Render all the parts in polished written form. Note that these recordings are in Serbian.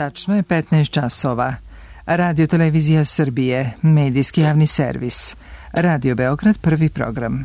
Tačno je 15 časova. Radio Televizija Srbije, medijski javni servis. Radio Beograd, prvi program.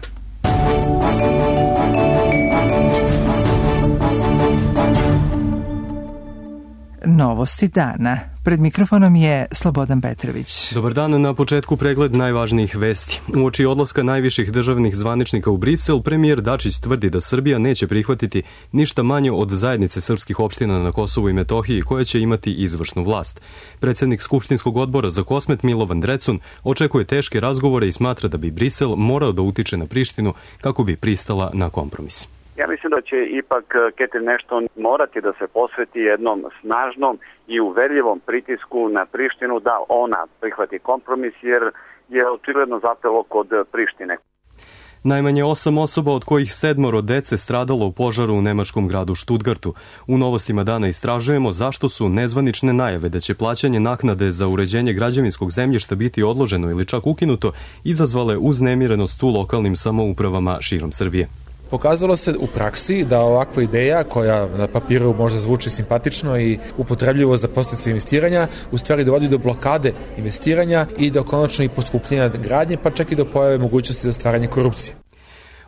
Novosti dana. Pred mikrofonom je Slobodan Petrović. Dobar dan, na početku pregled najvažnijih vesti. Uoči odlaska najviših državnih zvaničnika u Brisel, premijer Dačić tvrdi da Srbija neće prihvatiti ništa manje od zajednice srpskih opština na Kosovu i Metohiji koja će imati izvršnu vlast. Predsednik Skupštinskog odbora za Kosmet Milovan Drecun očekuje teške razgovore i smatra da bi Brisel morao da utiče na Prištinu kako bi pristala na kompromis. Ja mislim da će ipak Catherine Ashton morati da se posveti jednom snažnom i uverljivom pritisku na Prištinu da ona prihvati kompromis, jer je očigledno zapelo kod Prištine. Najmanje 8 osoba, od kojih 7 dece stradalo u požaru u nemačkom gradu Stuttgartu. U novostima dana istražujemo zašto su nezvanične najave da će plaćanje naknade za uređenje građevinskog zemljišta biti odloženo ili čak ukinuto izazvale uznemirenost u lokalnim samoupravama širom Srbije. Pokazalo se u praksi da ovakva ideja, koja na papiru možda zvuči simpatično i upotrebljivo za podsticaj investiranja, u stvari dovodi do blokade investiranja i do konačno i poskupljenja gradnje, pa čak i do pojave mogućnosti za stvaranje korupcije.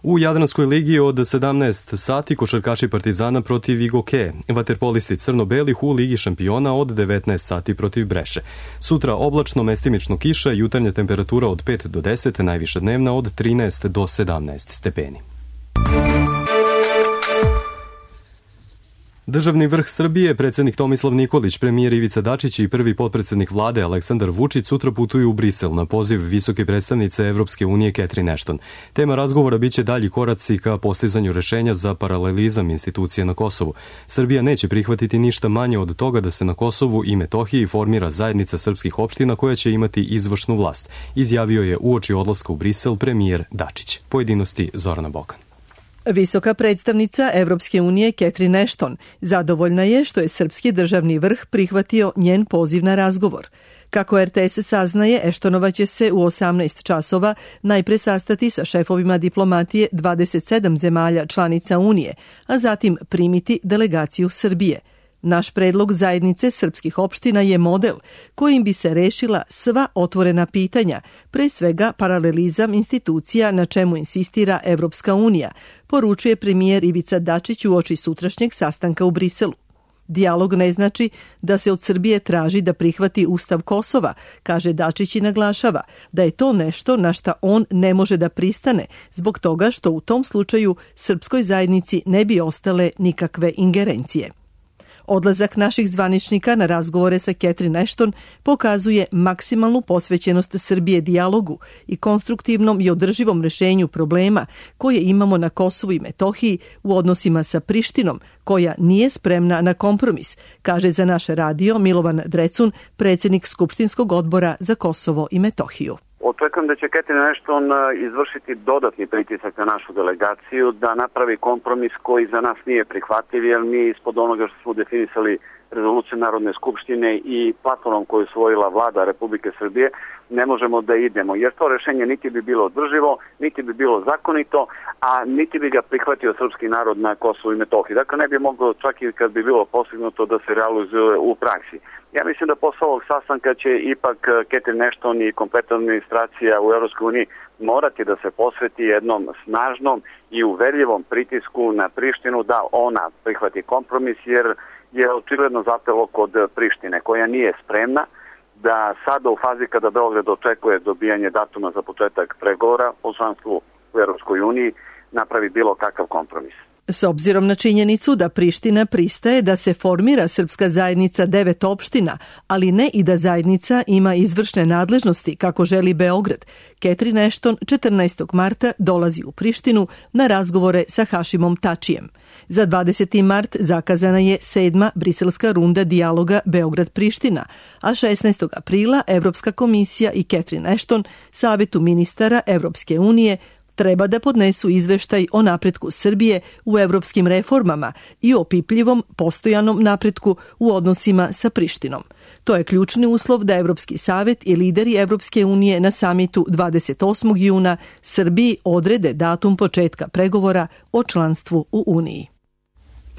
U Jadranskoj ligi od 17 sati košarkaši Partizana protiv Igoke, vaterpolisti crno-belih u Ligi šampiona od 19 sati protiv Breše. Sutra oblačno, mestimično kiša, jutarnja temperatura od 5 do 10, najviša dnevna od 13 do 17 stepeni. Državni vrh Srbije, predsednik Tomislav Nikolić, premijer Ivica Dačić i prvi potpredsednik vlade Aleksandar Vučić sutra putuju u Brisel na poziv visoke predstavnice Evropske unije Catherine Ashton. Tema razgovora biće dalji koraci ka postizanju rešenja za paralelizam institucije na Kosovu. Srbija neće prihvatiti ništa manje od toga da se na Kosovu i Metohiji formira zajednica srpskih opština koja će imati izvršnu vlast, izjavio je uoči odlaska u Brisel premijer Dačić. Pojedinosti Zorana Bokan. Visoka predstavnica Evropske unije Catherine Ashton zadovoljna je što je srpski državni vrh prihvatio njen poziv na razgovor. Kako RTS saznaje, Ashtonova će se u 18 časova najpre sastati sa šefovima diplomatije 27 zemalja članica Unije, a zatim primiti delegaciju Srbije. Naš predlog zajednice srpskih opština je model kojim bi se rešila sva otvorena pitanja, pre svega paralelizam institucija na čemu insistira Evropska unija, poručuje premijer Ivica Dačić uoči sutrašnjeg sastanka u Briselu. Dijalog ne znači da se od Srbije traži da prihvati Ustav Kosova, kaže Dačić i naglašava da je to nešto na šta on ne može da pristane, zbog toga što u tom slučaju srpskoj zajednici ne bi ostale nikakve ingerencije. Odlazak naših zvaničnika na razgovore sa Catherine Ashton pokazuje maksimalnu posvećenost Srbije dijalogu i konstruktivnom i održivom rešenju problema koje imamo na Kosovu i Metohiji u odnosima sa Prištinom, koja nije spremna na kompromis, kaže za naš radio Milovan Drecun, predsednik Skupštinskog odbora za Kosovo i Metohiju. Očekujem da će Catherine Ashton izvršiti dodatni pritisak na našu delegaciju da napravi kompromis koji za nas nije prihvatljiv, jer mi ispod onoga što smo definisali rezoluciju Narodne skupštine i platformom koju je usvojila vlada Republike Srbije ne možemo da idemo, jer to rešenje niti bi bilo održivo, niti bi bilo zakonito, a niti bi ga prihvatio srpski narod na Kosovu i Metohiji. Dakle, ne bi moglo čak i kad bi bilo postignuto da se realizuje u praksi. Ja mislim da posle ovog sastanka će ipak Catherine Ashton i kompletna administracija u EU morati da se posveti jednom snažnom i uverljivom pritisku na Prištinu da ona prihvati kompromis, jer je očigledno zapelo kod Prištine, koja nije spremna da sada u fazi kada Beograd očekuje dobijanje datuma za početak pregovora o članstvu u EU napravi bilo kakav kompromis. S obzirom na činjenicu da Priština pristaje da se formira srpska zajednica 9 opština, ali ne i da zajednica ima izvršne nadležnosti kako želi Beograd, Catherine Ashton 14. marta dolazi u Prištinu na razgovore sa Hašimom Tačijem. Za 20. mart zakazana je 7. briselska runda dijaloga Beograd-Priština, a 16. aprila Evropska komisija i Catherine Ashton, Savetu ministara Evropske unije, treba da podnesu izveštaj o napretku Srbije u evropskim reformama i o opipljivom postojanom napretku u odnosima sa Prištinom. To je ključni uslov da Evropski savet i lideri Evropske unije na samitu 28. juna Srbiji odrede datum početka pregovora o članstvu u Uniji.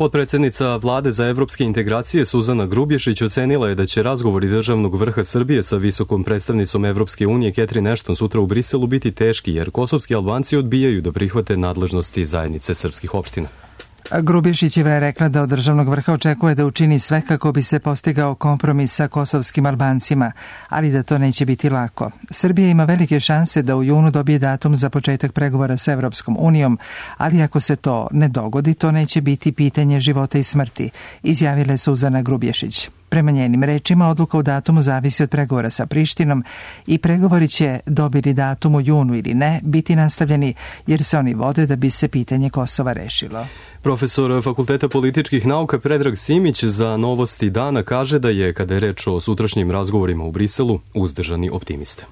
Potpredsjednica Vlade za evropske integracije Suzana Grubješić ocenila je da će razgovori državnog vrha Srbije sa visokom predstavnicom Evropske unije Catherine Ashton sutra u Briselu biti teški, jer kosovski Albanci odbijaju da prihvate nadležnosti zajednice srpskih opština. Grubješićeva je rekla da od državnog vrha očekuje da učini sve kako bi se postigao kompromis sa kosovskim Albancima, ali da to neće biti lako. Srbija ima velike šanse da u junu dobije datum za početak pregovora sa Evropskom unijom, ali ako se to ne dogodi, to neće biti pitanje života i smrti, izjavila je Suzana Grubješić. Prema njenim rečima, odluka o datumu zavisi od pregovora sa Prištinom i pregovori će, dobili datum u junu ili ne, biti nastavljeni jer se oni vode da bi se pitanje Kosova rešilo. Profesor Fakulteta političkih nauka Predrag Simić za Novosti dana kaže da je, kada je reč o sutrašnjim razgovorima u Briselu, uzdržani optimista.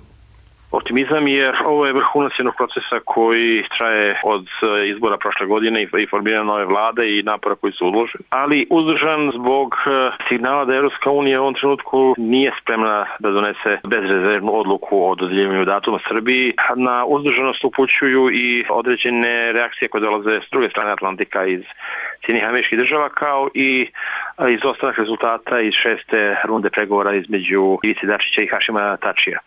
Optimizam jer ovo je vrhunac jednog procesa koji traje od izbora prošle godine i formiranja nove vlade i napora koji su uloženi. Ali uzdržan zbog signala da Evropska unija u ovom trenutku nije spremna da donese bezrezervnu odluku o dodjeljivanju datuma Srbiji. Na uzdržanost upućuju i određene reakcije koje dolaze s druge strane Atlantika iz Sjedinjenih Američkih Država, kao i izostanak rezultata iz 6. runde pregovora između Ivice Dačića i Hašima Tačija.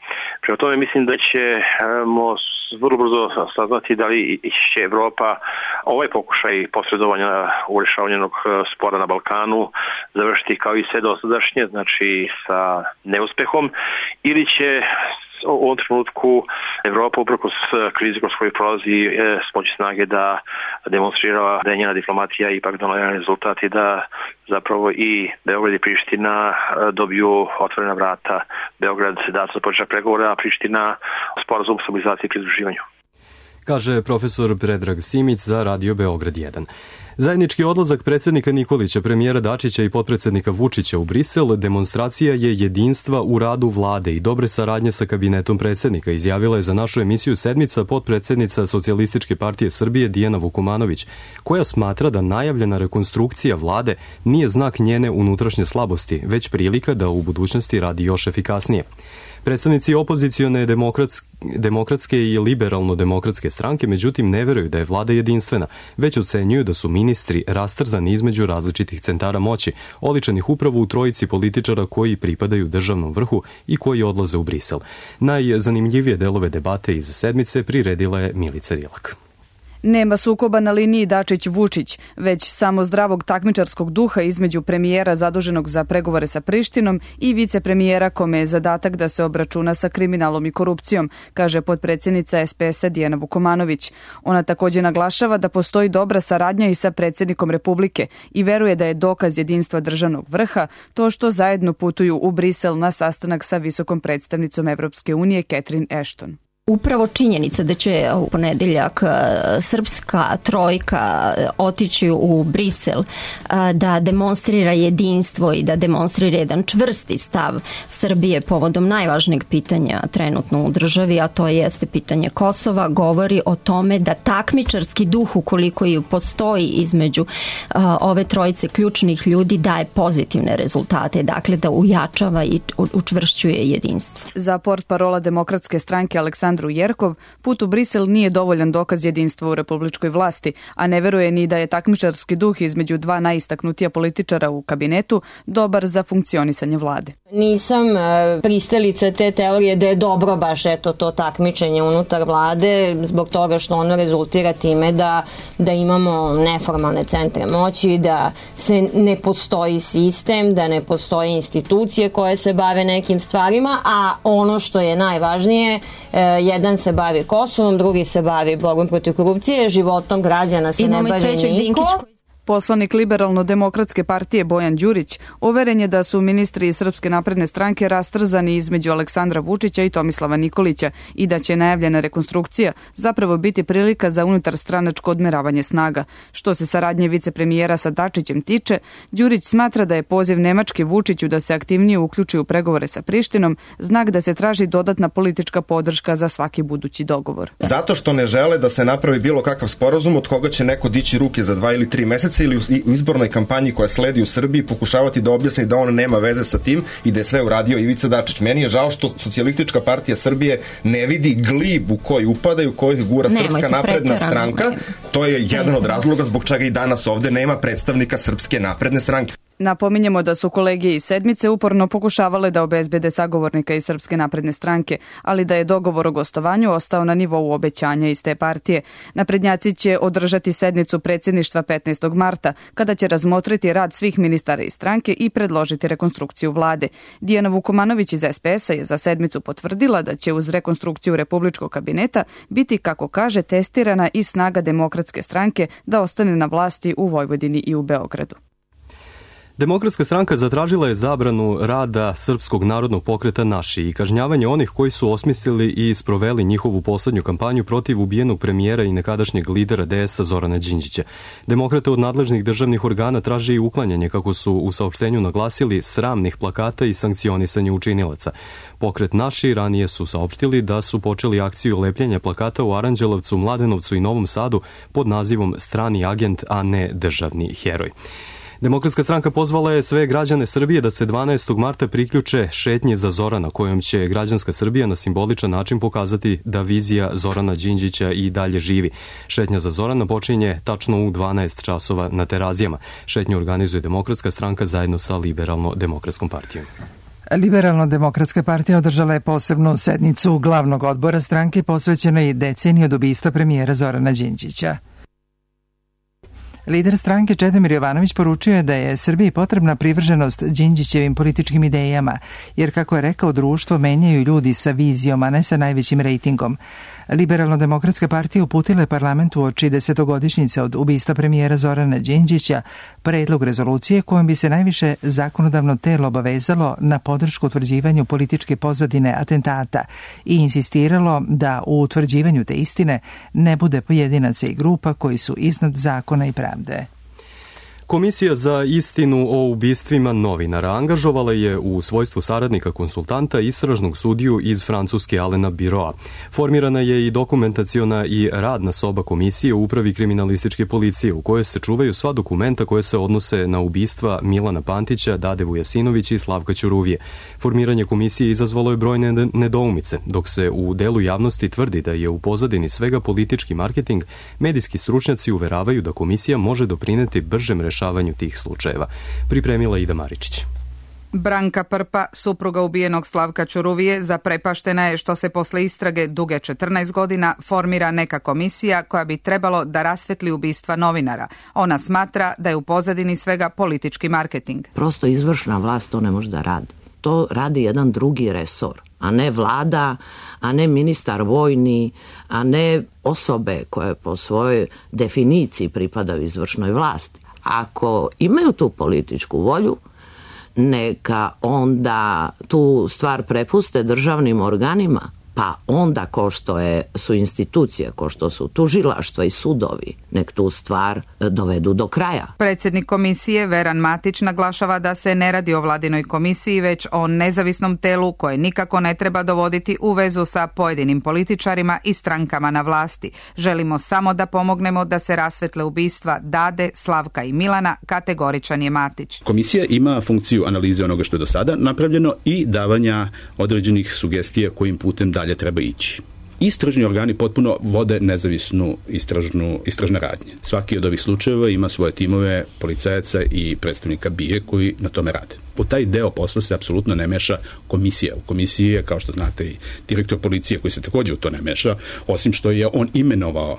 Prema tome mislim da ćemo vrlo brzo saznati da li će Evropa ovaj pokušaj posredovanja u rješavanju jednog spora na Balkanu završiti kao i sve dosadašnje, znači sa neuspehom, ili će u ovom trenutku Evropa uprkos krizi kroz koju prolazi smoći snage da demonstrira da je njena diplomatija ipak donela rezultat i da zapravo i Beograd i Priština dobiju otvorena vrata. Beograd datum za početak pregovora, a Priština sporazum o stabilizaciji i pridruživanju. Kaže profesor Predrag Simić za Radio Beograd 1. Zajednički odlazak predsjednika Nikolića, premijera Dačića i potpredsjednika Vučića u Brisel demonstracija je jedinstva u radu vlade i dobre saradnje sa kabinetom predsjednika, izjavila je za našu emisiju Sedmica potpredsjednica Socijalističke partije Srbije Dijana Vukomanović, koja smatra da najavljena rekonstrukcija vlade nije znak njene unutrašnje slabosti, već prilika da u budućnosti radi još efikasnije. Predstavnici opozicione demokratske i liberalno-demokratske stranke međutim ne veruju da je vlada jedinstvena, već ocenjuju da su ministri rastrzani između različitih centara moći, oličenih upravo u trojici političara koji pripadaju državnom vrhu i koji odlaze u Brisel. Najzanimljivije delove debate iz Sedmice priredila je Milica Rilak. Nema sukoba na liniji Dačić-Vučić, već samo zdravog takmičarskog duha između premijera zaduženog za pregovore sa Prištinom i vicepremijera kome je zadatak da se obračuna sa kriminalom i korupcijom, kaže potpredsjednica SPS-a Dijana Vukomanović. Ona također naglašava da postoji dobra saradnja i sa predsjednikom Republike i veruje da je dokaz jedinstva državnog vrha to što zajedno putuju u Brisel na sastanak sa visokom predstavnicom Evropske unije Catherine Ashton. Upravo činjenica da će u ponedeljak srpska trojka otići u Brisel da demonstrira jedinstvo i da demonstrira jedan čvrsti stav Srbije povodom najvažnijeg pitanja trenutno u državi, a to jeste pitanje Kosova, govori o tome da takmičarski duh, ukoliko i postoji između ove trojice ključnih ljudi, daje pozitivne rezultate, dakle da ujačava i učvršćuje jedinstvo. Za portparola Demokratske stranke Aleksandru Jerkov, put u Brisel nije dovoljan dokaz jedinstva u republičkoj vlasti, a ne veruje ni da je takmičarski duh između dva najistaknutija političara u kabinetu dobar za funkcionisanje vlade. Nisam pristalica te teorije da je dobro baš to takmičenje unutar vlade, zbog toga što ono rezultira time da imamo neformalne centre moći, da se ne postoji sistem, da ne postoje institucije koje se bave nekim stvarima, a ono što je najvažnije, jedan se bavi Kosovom, drugi se bavi borbom protiv korupcije, životom građana se ne bavi niko. Poslanik Liberalno-demokratske partije Bojan Đurić uveren je da su ministri iz Srpske napredne stranke rastrzani između Aleksandra Vučića i Tomislava Nikolića i da će najavljena rekonstrukcija zapravo biti prilika za unutarstranačko odmeravanje snaga. Što se saradnje vicepremijera sa Dačićem tiče, Đurić smatra da je poziv Nemačke Vučiću da se aktivnije uključi u pregovore sa Prištinom znak da se traži dodatna politička podrška za svaki budući dogovor. Zato što ne žele da se napravi bilo kakav sporazum od koga će neko dići ruke za 2 ili 3 meseca se ili u izbornoj kampanji koja sledi u Srbiji pokušavati da objasni da on nema veze sa tim i da je sve uradio Ivica Dačić. Meni je žao što Socijalistička partija Srbije ne vidi glib u koji upadaju, u koji gura Srpska napredna stranka. To je jedan od razloga zbog čega i danas ovde nema predstavnika Srpske napredne stranke. Napominjemo da su kolege iz Sedmice uporno pokušavale da obezbede sagovornika iz Srpske napredne stranke, ali da je dogovor o gostovanju ostao na nivou obećanja iz te partije. Naprednjaci će održati sednicu predsjedništva 15. marta, kada će razmotriti rad svih ministara iz stranke i predložiti rekonstrukciju vlade. Dijana Vukomanović iz SPS-a je za sedmicu potvrdila da će uz rekonstrukciju Republičkog kabineta biti, kako kaže, testirana i snaga Demokratske stranke da ostane na vlasti u Vojvodini i u Beogradu. Demokratska stranka zatražila je zabranu rada Srpskog narodnog pokreta Naši i kažnjavanje onih koji su osmislili i sproveli njihovu poslednju kampanju protiv ubijenog premijera i nekadašnjeg lidera DS-a Zorana Đinđića. Demokrate od nadležnih državnih organa traži i uklanjanje, kako su u saopštenju naglasili, sramnih plakata i sankcionisanje učinilaca. Pokret Naši ranije su saopštili da su počeli akciju lepljenja plakata u Aranđelovcu, Mladenovcu i Novom Sadu pod nazivom Strani agent, a ne državni heroj. Demokratska stranka pozvala je sve građane Srbije da se 12. marta priključe šetnji za Zorana, kojom će građanska Srbija na simboličan način pokazati da vizija Zorana Đinđića i dalje živi. Šetnja za Zorana počinje tačno u 12 časova na Terazijama. Šetnju organizuje Demokratska stranka zajedno sa Liberalno-demokratskom partijom. Liberalno-demokratska partija održala je posebnu sednicu glavnog odbora stranke posvećenoj deceniji od ubistva premijera Zorana Đinđića. Lider stranke Čedomir Jovanović poručio je da je Srbiji potrebna privrženost Đinđićevim političkim idejama, jer, kako je rekao, društvo menjaju ljudi sa vizijom, a ne sa najvećim rejtingom. Liberalno-demokratska partija uputila je parlamentu uoči 10-godišnjice od ubistva premijera Zorana Đinđića predlog rezolucije kojom bi se najviše zakonodavno telo obavezalo na podršku utvrđivanju političke pozadine atentata i insistiralo da u utvrđivanju te istine ne bude pojedinaca i grupa koji su iznad zakona i pravde. Komisija za istinu o ubistvima novinara angažovala je u svojstvu saradnika konsultanta istražnog sudiju iz Francuske Alena Biroa. Formirana je i dokumentaciona i radna soba komisije u upravi kriminalističke policije, u kojoj se čuvaju sva dokumenta koje se odnose na ubistva Milana Pantića, Dade Vujasinovića i Slavka Ćuruvije. Formiranje komisije izazvalo je brojne nedoumice. Dok se u delu javnosti tvrdi da je u pozadini svega politički marketing, medijski stručnjaci uveravaju da komisija može doprineti bržem rešavanju tih slučajeva. Pripremila Ida Maričić. Branka Prpa, supruga ubijenog Slavka Ćuruvije, zaprepaštena je što se posle istrage duge 14 godina formira neka komisija koja bi trebalo da rasvetli ubistva novinara. Ona smatra da je u pozadini svega politički marketing. Prosto izvršna vlast to ne može da radi. To radi jedan drugi resor, a ne vlada, a ne ministar vojni, a ne osobe koje po svojoj definiciji pripadaju izvršnoj vlasti. Ako imaju tu političku volju, neka onda tu stvar prepuste državnim organima, pa onda ko što su institucije, ko što su tužilaštva i sudovi, nek tu stvar dovedu do kraja. Predsjednik komisije Veran Matić naglašava da se ne radi o vladinoj komisiji, već o nezavisnom telu koje nikako ne treba dovoditi u vezu sa pojedinim političarima i strankama na vlasti. Želimo samo da pomognemo da se rasvetle ubistva Dade, Slavka i Milana, kategoričan je Matić. Komisija ima funkciju analize onoga što je do sada napravljeno i davanja određenih sugestija kojim putem dalje treba ići. Istražni organi potpuno vode nezavisnu istražne radnje. Svaki od ovih slučajeva ima svoje timove policajaca i predstavnika BIA koji na tome rade. U taj deo posla se apsolutno ne meša komisija. U komisiji je, kao što znate, i direktor policije koji se također u to ne meša, osim što je on imenovao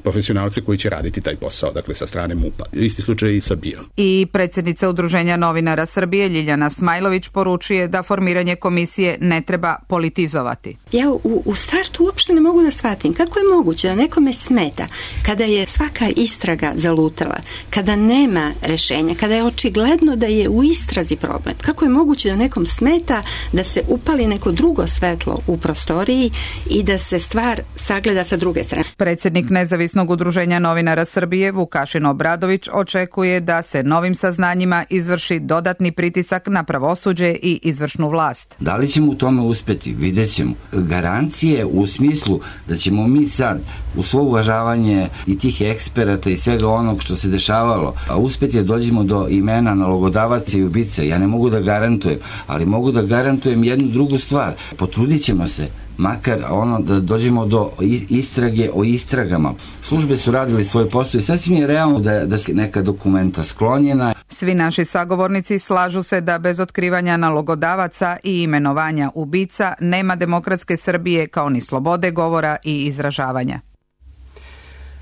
profesionalce koji će raditi taj posao, dakle sa strane MUP-a. Isti slučaj i sa BIA. I predsjednica Udruženja novinara Srbije Ljiljana Smajlović poručuje da formiranje komisije ne treba politizovati. Ja u startu uopšte ne mogu da shvatim kako je moguće da nekome smeta kada je svaka istraga zalutala, kada nema rešenja, kada je očigledno da je u istrazi problem. Kako je moguće da nekom smeta da se upali neko drugo svetlo u prostoriji i da se stvar sagleda sa druge strane. Predsjednik nezavisnog Nezavisnog udruženja novinara Srbije Vukašin Obradović očekuje da se novim saznanjima izvrši dodatni pritisak na pravosuđe i izvršnu vlast. Da li ćemo u tome uspeti? Vidjet ćemo. Garancije u smislu da ćemo mi sad u svo uvažavanje i tih eksperata i svega onog što se dešavalo, a uspeti da dođemo do imena nalogodavaca i ubice. Ja ne mogu da garantujem, ali mogu da garantujem jednu drugu stvar. Potrudit ćemo se makar da dođemo do istrage o istragama. Službe su radili svoj posao i sasvim je realno da su neka dokumenta sklonjena. Svi naši sagovornici slažu se da bez otkrivanja nalogodavaca i imenovanja ubica nema demokratske Srbije kao ni slobode govora i izražavanja.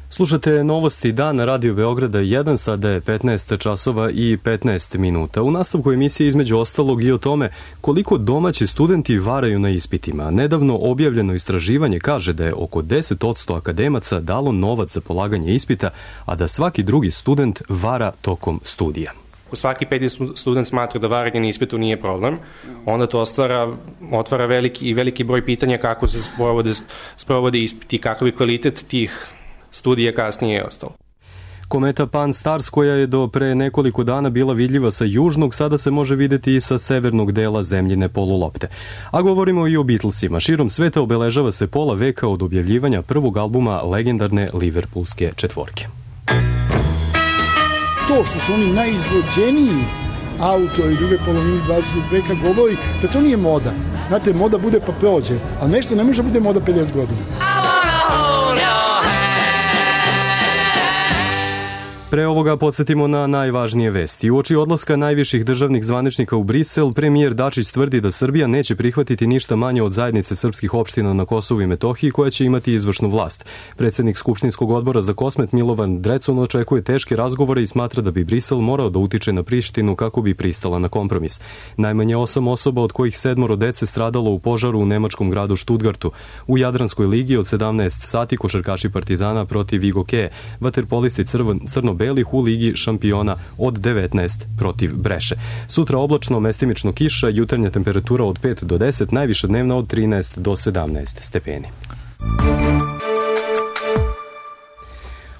Slušate novosti dana Radio Beograda 1, sada je 15 časova i 15 minuta. U nastavku emisije između ostalog i o tome koliko domaći studenti varaju na ispitima. Nedavno objavljeno istraživanje kaže da je oko 10% akademaca dalo novac za polaganje ispita, a da svaki drugi student vara tokom studija. Svaki peti student smatra da varanje na ispitu nije problem, onda to otvara veliki broj pitanja kako se sprovode ispiti, kakav je kvalitet tih studija kasnije je ostalo. Kometa Pan-STARRS, koja je do pre nekoliko dana bila vidljiva sa južnog, sada se može videti i sa severnog dela zemljine polulopte. A govorimo i o Beatlesima. Širom sveta obeležava se pola veka od objavljivanja prvog albuma legendarne Liverpoolske četvorke. To što su oni najizvođeniji autori i druge polovine 20. veka govori da to nije moda. Znate, moda bude pa prođe, a nešto ne može bude moda 50 godina. Pre ovoga podsjetimo na najvažnije vesti. Uoči odlaska najviših državnih zvaničnika u Brisel, premijer Dačić tvrdi da Srbija neće prihvatiti ništa manje od zajednice srpskih opština na Kosovu i Metohiji koja će imati izvršnu vlast. Predsednik Skupštinskog odbora za Kosmet Milovan Drecun očekuje teške razgovore i smatra da bi Brisel morao da utiče na Prištinu kako bi pristala na kompromis. Najmanje 8 osoba, od kojih 7 dece stradalo u požaru u nemačkom gradu Stuttgartu. U Jadranskoj ligi od 17 sati košarkaši Partizana protiv Igokeje, vaterpolisti crno-belih u Ligi šampiona od 19 protiv Breše. Sutra oblačno, mestimično kiša, jutarnja temperatura od 5 do 10, najviša dnevna od 13 do 17 stepeni.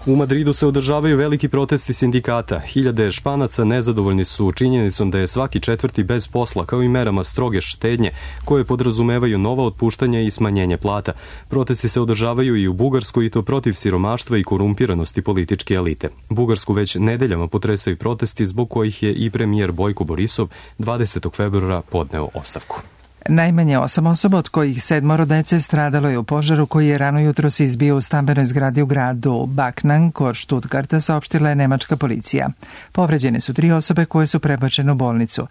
U Madridu se održavaju veliki protesti sindikata. Hiljade Španaca nezadovoljni su činjenicom da je svaki četvrti bez posla, kao i merama stroge štednje, koje podrazumevaju nova otpuštanja i smanjenje plata. Protesti se održavaju i u Bugarskoj, i to protiv siromaštva i korumpiranosti političke elite. Bugarsku već nedeljama potresaju protesti zbog kojih je i premijer Bojko Borisov 20. februara podneo ostavku. Najmanje 8 osoba, od kojih 7 dece, stradalo je u požaru koji je rano jutro se izbio u stambenoj zgradi u gradu Backnang kod Stuttgarta, saopštila je nemačka policija. Povređene su 3 osobe koje su prebačene u bolnicu.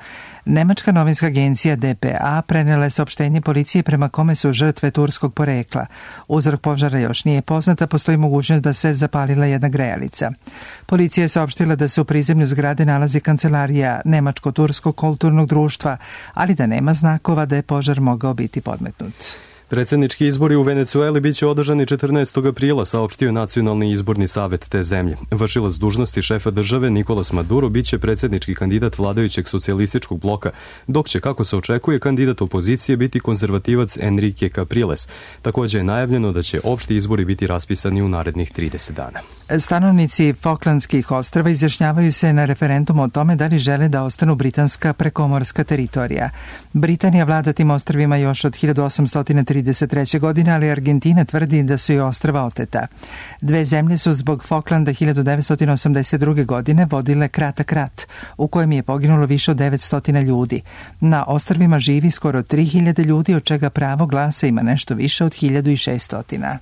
Nemačka novinska agencija DPA prenela je saopštenje policije prema kome su žrtve turskog porekla. Uzrok požara još nije poznat, a postoji mogućnost da se zapalila jedna grejalica. Policija je saopštila da se u prizemlju zgrade nalazi kancelarija Nemačko-turskog kulturnog društva, ali da nema znakova da je požar mogao biti podmetnut. Predsjednički izbori u Venecueli biće održani 14. aprila, saopštio Nacionalni izborni savet te zemlje. Vršilac dužnosti šefa države Nicolas Maduro biće predsjednički kandidat vladajućeg socijalističkog bloka, dok će, kako se očekuje, kandidat opozicije biti konzervativac Enrique Capriles. Također je najavljeno da će opšti izbori biti raspisani u narednih 30 dana. Stanovnici Falklandskih ostrava izjašnjavaju se na referendumu o tome da li žele da ostanu britanska prekomorska teritorija. Britanija vlada tim ostrvima još od 1833. godine, ali Argentina tvrdi da su i ostrva oteta. Dve zemlje su zbog Falklanda 1982. godine vodile kratak rat, u kojem je poginulo više od 900 ljudi. Na ostrvima živi skoro 3000 ljudi, od čega pravo glasa ima nešto više od 1600.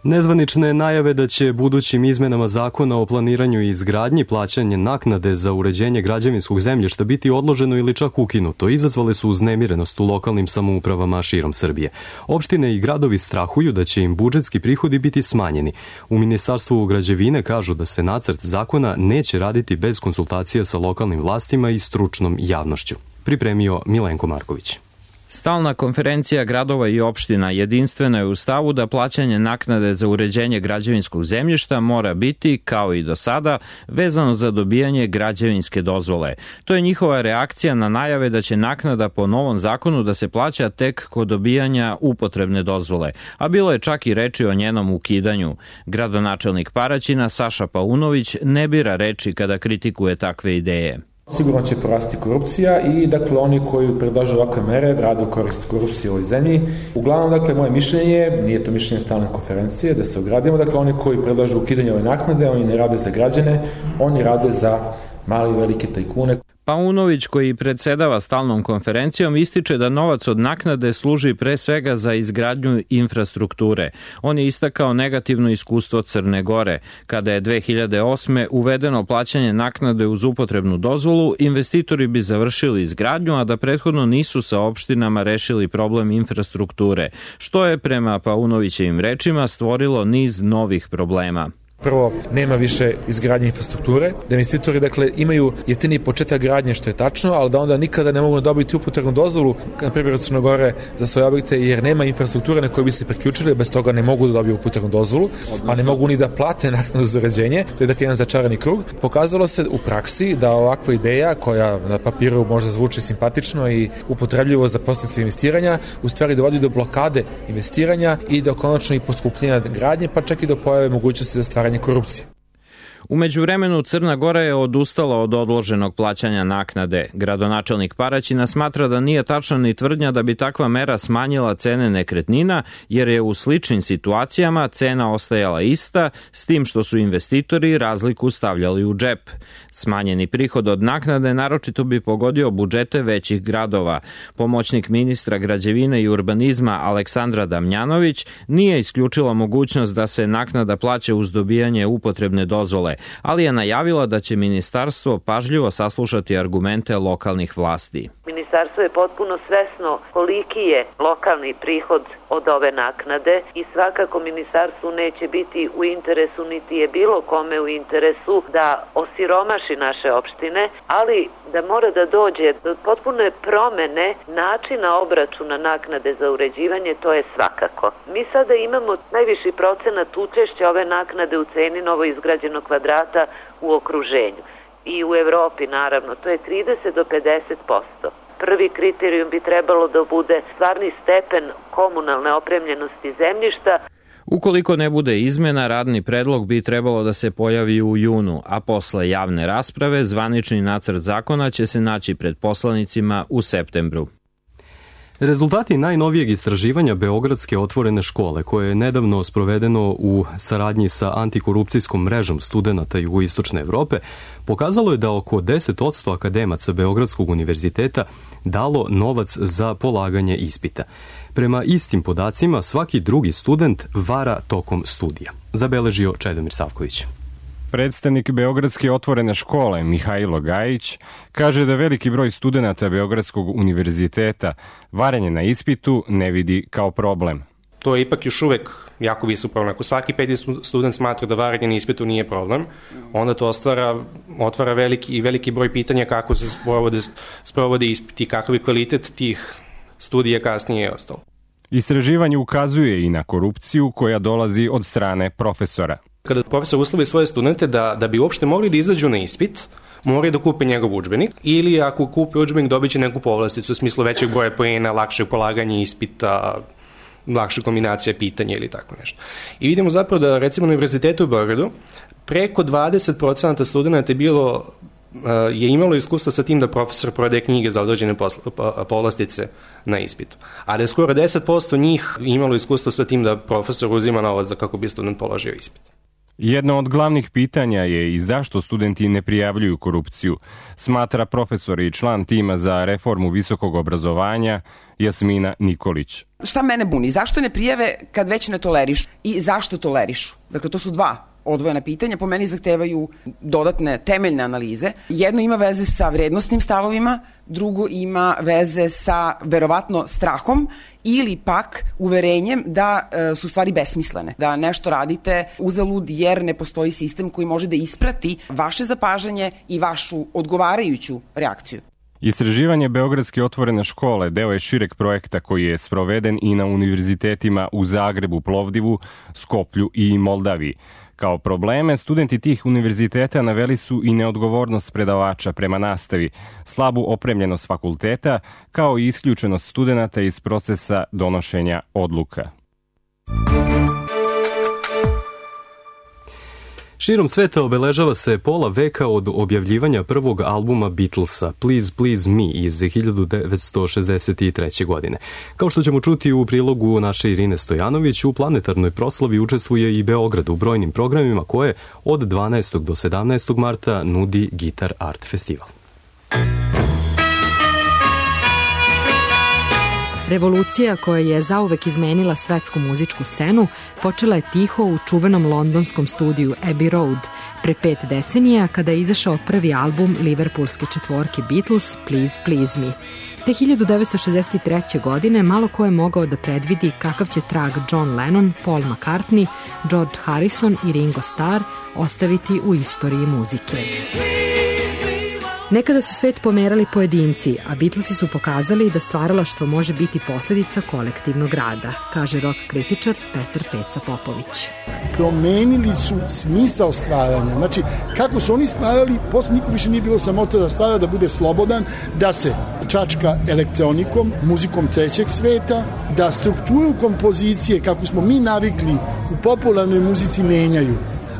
Nezvanične najave da će budućim izmenama zakona o planiranju i izgradnji plaćanje naknade za uređenje građevinskog zemljišta biti odloženo ili čak ukinuto izazvale su uznemirenost u lokalnim samoupravama širom Srbije. Opštine i gradovi strahuju da će im budžetski prihodi biti smanjeni. U Ministarstvu građevine kažu da se nacrt zakona neće raditi bez konsultacija sa lokalnim vlastima i stručnom javnošću. Pripremio Milenko Marković. Stalna konferencija gradova i opština jedinstvena je u stavu da plaćanje naknade za uređenje građevinskog zemljišta mora biti, kao i do sada, vezano za dobijanje građevinske dozvole. To je njihova reakcija na najave da će naknada po novom zakonu da se plaća tek kod dobijanja upotrebne dozvole, a bilo je čak i reči o njenom ukidanju. Gradonačelnik Paraćina Saša Paunović ne bira reči kada kritikuje takve ideje. Sigurno će porasti korupcija i dakle oni koji predlažu ovakve mere rade u korist korupcije u ovoj zemlji. Uglavnom, dakle, moje mišljenje, nije to mišljenje stalne konferencije, da se ogradimo, dakle oni koji predlažu ukidanje ove naknade, oni ne rade za građane, oni rade za male i velike tajkune. Paunović, koji predsedava stalnom konferencijom, ističe da novac od naknade služi pre svega za izgradnju infrastrukture. On je istakao negativno iskustvo Crne Gore. Kada je 2008. uvedeno plaćanje naknade uz upotrebnu dozvolu, investitori bi završili izgradnju, a da prethodno nisu sa opštinama rešili problem infrastrukture, što je prema Paunovićevim rečima stvorilo niz novih problema. Prvo, nema više izgradnje infrastrukture, da investitori dakle imaju jeftini početak gradnje, što je tačno, ali da onda nikada ne mogu dobiti upotrebnu dozvolu, na primjer od Crne Gore, za svoje objekte, jer nema infrastrukture na kojoj bi se priključili, bez toga ne mogu da dobiju upotrebnu dozvolu, pa ne mogu ni da plate naknadu za uređenje. To je dakle jedan začarani krug. Pokazalo se u praksi da ovakva ideja, koja na papiru možda zvuči simpatično i upotrebljivo za podsticaj investiranja, u stvari dovodi do blokade investiranja i do konačno i poskupljenja gradnje, pa čak i do pojave mogućnosti za stvaranje korupcije. U međuvremenu Crna Gora je odustala od odloženog plaćanja naknade. Gradonačelnik Paraćina smatra da nije tačna ni tvrdnja da bi takva mera smanjila cene nekretnina, jer je u sličnim situacijama cena ostajala ista, s tim što su investitori razliku stavljali u džep. Smanjeni prihod od naknade naročito bi pogodio budžete većih gradova. Pomoćnik ministra građevine i urbanizma Aleksandra Damjanović nije isključila mogućnost da se naknada plaća uz dobijanje upotrebne dozvole, ali je najavila da će ministarstvo pažljivo saslušati argumente lokalnih vlasti. Ministarstvo je potpuno svesno koliki je lokalni prihod od ove naknade i svakako ministarstvu neće biti u interesu, niti je bilo kome u interesu da osiromaši naše opštine, ali da mora da dođe do potpune promene načina obračuna naknade za uređivanje, to je svakako. Mi sada imamo najviši procenat učešća ove naknade u ceni novoizgrađenog kvadrata u okruženju. I u Evropi, naravno, to je 30 do 50%. Prvi kriterijum bi trebalo da bude stvarni stepen komunalne opremljenosti zemljišta. Ukoliko ne bude izmena, radni predlog bi trebalo da se pojavi u junu, a posle javne rasprave zvanični nacrt zakona će se naći pred poslanicima u septembru. Rezultati najnovijeg istraživanja Beogradske otvorene škole, koje je nedavno sprovedeno u saradnji sa antikorupcijskom mrežom studenata jugoistočne Evrope, pokazalo je da oko 10% akademaca Beogradskog univerziteta dalo novac za polaganje ispita. Prema istim podacima, svaki drugi student vara tokom studija, zabeležio Čedomir Savković. Predstavnik Beogradske otvorene škole Mihajlo Gajić kaže da veliki broj studenata Beogradskog univerziteta varanje na ispitu ne vidi kao problem. To je ipak još uvek jako visok problem. Ako svaki peti student smatra da varanje na ispitu nije problem, onda to otvara veliki broj pitanja kako se sprovode ispiti i kakav je kvalitet tih studija kasnije je ostalo. Istraživanje ukazuje i na korupciju koja dolazi od strane profesora. Kada profesor uslovi svoje studente da bi uopšte mogli da izađu na ispit, moraju da kupe njegov udžbenik, ili ako kupe udžbenik dobit će neku povlasticu u smislu većeg broja poena, lakšeg polaganja ispita, lakša kombinacija pitanja ili tako nešto. I vidimo zapravo da recimo na Univerzitetu u Beogradu preko 20% studenta je imalo iskustva sa tim da profesor prodaje knjige za određene povlastice na ispitu. A da je skoro 10% njih imalo iskustva sa tim da profesor uzima novac za kako bi student položio ispit. Jedno od glavnih pitanja je i zašto studenti ne prijavljuju korupciju, smatra profesor i član tima za reformu visokog obrazovanja Jasmina Nikolić. Šta mene buni? Zašto ne prijave kad već ne tolerišu? I zašto tolerišu? Dakle, to su dva odvojena pitanja, po meni zahtevaju dodatne temeljne analize. Jedno ima veze sa vrednostnim stavovima, drugo ima veze sa verovatno strahom ili pak uverenjem da su stvari besmislene, da nešto radite uzalud jer ne postoji sistem koji može da isprati vaše zapažanje i vašu odgovarajuću reakciju. Istraživanje Beogradske otvorene škole deo je šireg projekta koji je sproveden i na univerzitetima u Zagrebu, Plovdivu, Skoplju i Moldaviji. Kao probleme, studenti tih univerziteta naveli su i neodgovornost predavača prema nastavi, slabu opremljenost fakulteta, kao i isključenost studenata iz procesa donošenja odluka. Širom sveta obeležava se pola veka od objavljivanja prvog albuma Beatlesa, Please Please Me, iz 1963. godine. Kao što ćemo čuti u prilogu naše Irine Stojanović, u planetarnoj proslavi učestvuje i Beograd u brojnim programima koje od 12. do 17. marta nudi Gitar Art Festival. Revolucija koja je zauvek izmenila svetsku muzičku scenu počela je tiho u čuvenom londonskom studiju Abbey Road pre 5 decenija kada je izašao prvi album liverpoolske četvorke Beatles Please Please Me. Te 1963. godine malo ko je mogao da predvidi kakav će trag John Lennon, Paul McCartney, George Harrison i Ringo Starr ostaviti u istoriji muzike. Nekada su svet pomerali pojedinci, a Beatlesi su pokazali da stvaralaštvo može biti posljedica kolektivnog rada, kaže rock kritičar Petar Peca Popović. Promenili su smisao stvaranja. Znači, kako su oni stvarali, posle niko više nije bilo samota da stvara, da bude slobodan, da se čačka elektronikom, muzikom trećeg sveta, da strukturu kompozicije, kako smo mi navikli u popularnoj muzici, menjaju.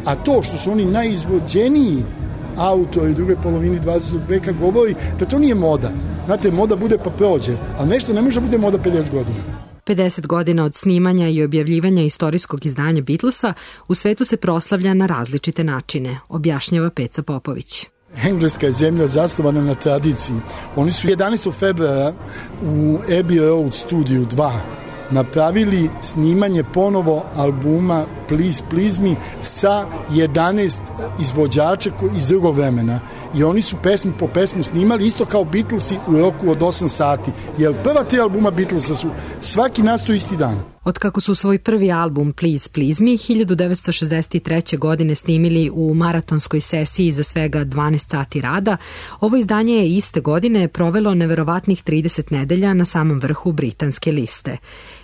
A to što su oni najizvođeniji autori druge polovini 20. veka govori da to nije moda. Znate, moda bude pa prođe, ali nešto ne može da bude moda 50 godina. 50 godina od snimanja i objavljivanja istorijskog izdanja Beatlesa u svetu se proslavlja na različite načine, objašnjava Peca Popović. Engleska je zemlja zasnovana na tradiciji. Oni su 11. februara u Abbey Road studiju 2 napravili snimanje ponovo albuma Please Please Me sa 11 izvođača iz drugog vremena. I oni su pesmu po pesmu snimali isto kao Beatlesi u roku od 8 sati. Jer prva 3 albuma Beatlesa su svaki nastao isti dan. Otkako su svoj prvi album Please Please Me 1963. godine snimili u maratonskoj sesiji za svega 12 sati rada, ovo izdanje je iste godine provelo neverovatnih 30 nedelja na samom vrhu britanske liste.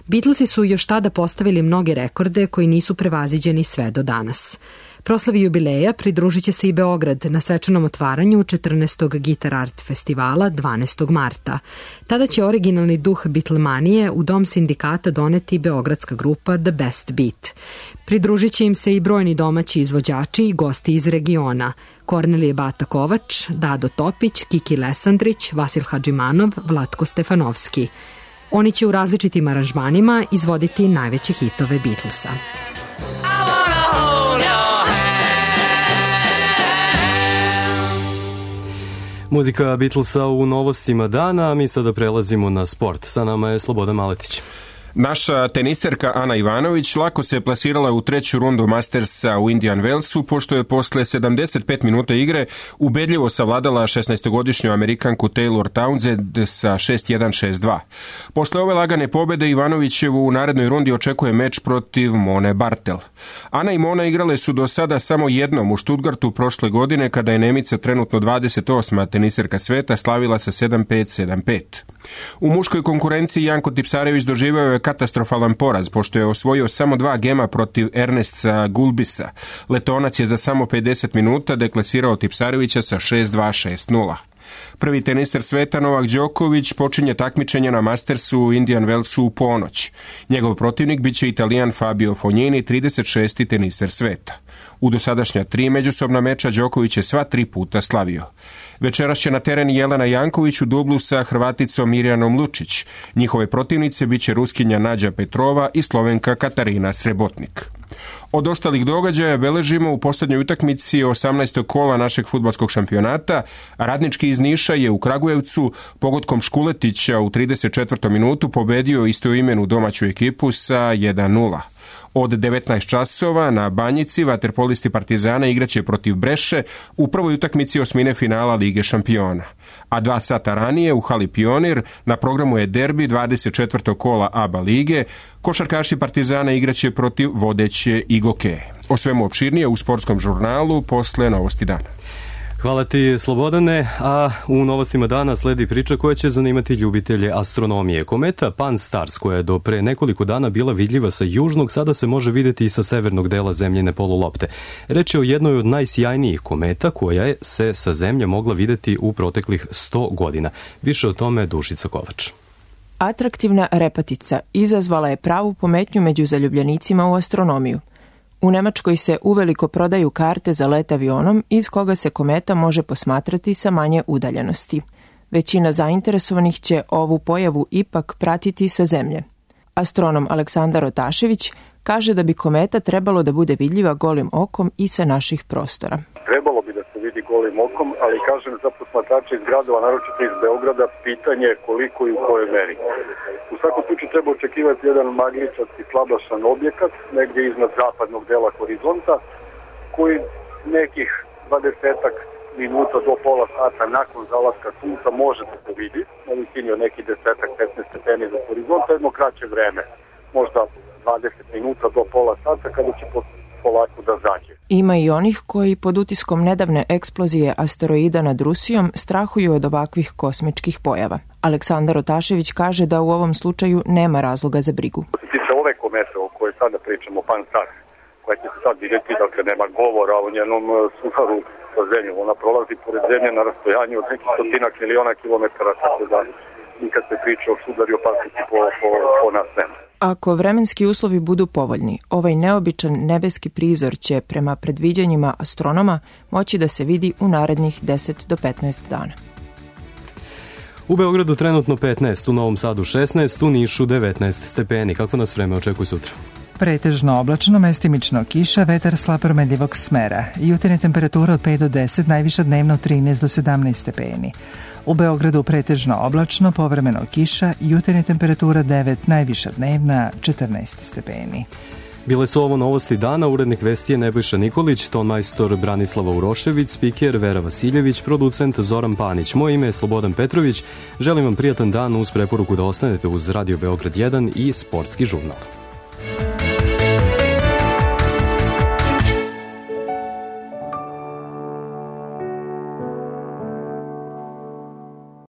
Beatlesi su još tada postavili mnoge rekorde koji nisu prevaziđeni sve do danas. Proslavi jubileja pridružit će se i Beograd na svečanom otvaranju 14. Gitar Art Festivala 12. marta. Tada će originalni duh Beatlemanije u dom sindikata doneti beogradska grupa The Best Beat. Pridružit će im se i brojni domaći izvođači i gosti iz regiona. Kornelije Bata Kovač, Dado Topić, Kiki Lesandrić, Vasil Hadžimanov, Vlatko Stefanovski. Oni će u različitim aranžmanima izvoditi najveće hitove Beatlesa. Muzika Beatlesa u novostima dana, a mi sada prelazimo na sport. Sa nama je Slobodan Maletić. Naša teniserka Ana Ivanović lako se plasirala u 3. rundu Mastersa u Indian Wellsu, pošto je posle 75 minuta igre ubedljivo savladala 16-godišnju Amerikanku Taylor Townsend sa 6-1, 6-2. Posle ove lagane pobede Ivanovićevu u narednoj rundi očekuje meč protiv Mone Bartel. Ana i Mona igrale su do sada samo jednom u Stuttgartu prošle godine, kada je Nemica, trenutno 28. teniserka sveta, slavila sa 7-5, 7-5. U muškoj konkurenciji Janko Tipsarević doživeo je katastrofalan poraz, pošto je osvojio samo 2 gema protiv Ernesta Gulbisa. Letonac je za samo 50 minuta deklasirao Tipsarevića sa 6-2, 6-0. Prvi teniser sveta Novak Đoković počinje takmičenje na Mastersu u Indian Wellsu u ponoć. Njegov protivnik biće Italijan Fabio Fognini, 36. teniser sveta. U dosadašnja 3 međusobna meča Đoković je sva 3 puta slavio. Večeras će na teren Jelena Janković u dublu sa Hrvaticom Mirjanom Lučić. Njihove protivnice biće Ruskinja Nađa Petrova i Slovenka Katarina Srebotnik. Od ostalih događaja beležimo u posljednjoj utakmici 18. kola našeg fudbalskog šampionata. Radnički iz Niša je u Kragujevcu pogodkom Škuletića u 34. minutu pobedio istoimenu domaću ekipu sa 1-0. Od 19 časova na Banjici vaterpolisti Partizana igraće protiv Breše u prvoj utakmici osmine finala Lige šampiona. A 2 sata ranije u hali Pionir na programu je derbi 24. kola ABA lige. Košarkaši Partizana igraće protiv vodeće Igoke. O svemu opširnije u sportskom žurnalu posle Novosti dana. Hvala ti, Slobodane, a u novostima dana sledi priča koja će zanimati ljubitelje astronomije. Kometa Pan-STARRS, koja je do pre nekoliko dana bila vidljiva sa južnog, sada se može videti i sa severnog dela zemljine polulopte. Reč je o jednoj od najsjajnijih kometa koja je se sa zemlje mogla videti u proteklih 100 godina. Više o tome Dušica Kovač. Atraktivna repatica izazvala je pravu pometnju među zaljubljenicima u astronomiju. U Nemačkoj se uveliko prodaju karte za let avionom iz koga se kometa može posmatrati sa manje udaljenosti. Većina zainteresovanih će ovu pojavu ipak pratiti sa zemlje. Astronom Aleksandar Otašević kaže da bi kometa trebalo da bude vidljiva golim okom i sa naših prostora. Trebalo bi da se vidi golim okom, ali kažem za posmatrače iz gradova, naročito iz Beograda, pitanje je koliko i u kojoj meri. U svakom slučaju treba očekivati jedan magličasti slabašan objekat negdje iznad zapadnog dela horizonta koji nekih 20 minuta do pola sata nakon zalaska sunca može da se vidi na visini od nekih 10-15 stepeni za horizonta, jedno kraće vreme, možda 20 minuta do pola sata kada će polako da zađe. Ima i onih koji pod utiskom nedavne eksplozije asteroida nad Rusijom strahuju od ovakvih kosmičkih pojava. Aleksandar Otašević kaže da u ovom slučaju nema razloga za brigu. Što se tiče ove komete o kojoj sada pričamo, Pan-STARRS, koja će se sad vidjeti, dakle nema govora o njenom sudaru sa zemljom. Ona prolazi pored zemlje na rastojanju od nekih 100 miliona kilometara, tako da nikad se priča o sudaru i opasnosti po nas nema. Ako vremenski uslovi budu povoljni, ovaj neobičan nebeski prizor će prema predviđanjima astronoma moći da se vidi u narednih 10 do 15 dana. U Beogradu trenutno 15, u Novom Sadu 16, u Nišu 19 stepeni. Kako nas vreme očekuje sutra? Pretežno oblačno, mestimično kiša, vetar slab promenljivog smera. Jutarnja temperatura od 5 do 10, najviša dnevno 13 do 17 stepeni. U Beogradu pretežno oblačno, povremeno kiša, jutarnja temperatura 9, najviša dnevna 14 stepeni. Bile su ovo novosti dana, urednik vesti je Nebojša Nikolić, tonmajstor Branislava Urošević, spiker Vera Vasiljević, producent Zoran Panić. Moje ime je Slobodan Petrović. Želim vam prijatan dan uz preporuku da ostanete uz Radio Beograd 1 i Sportski žurnal.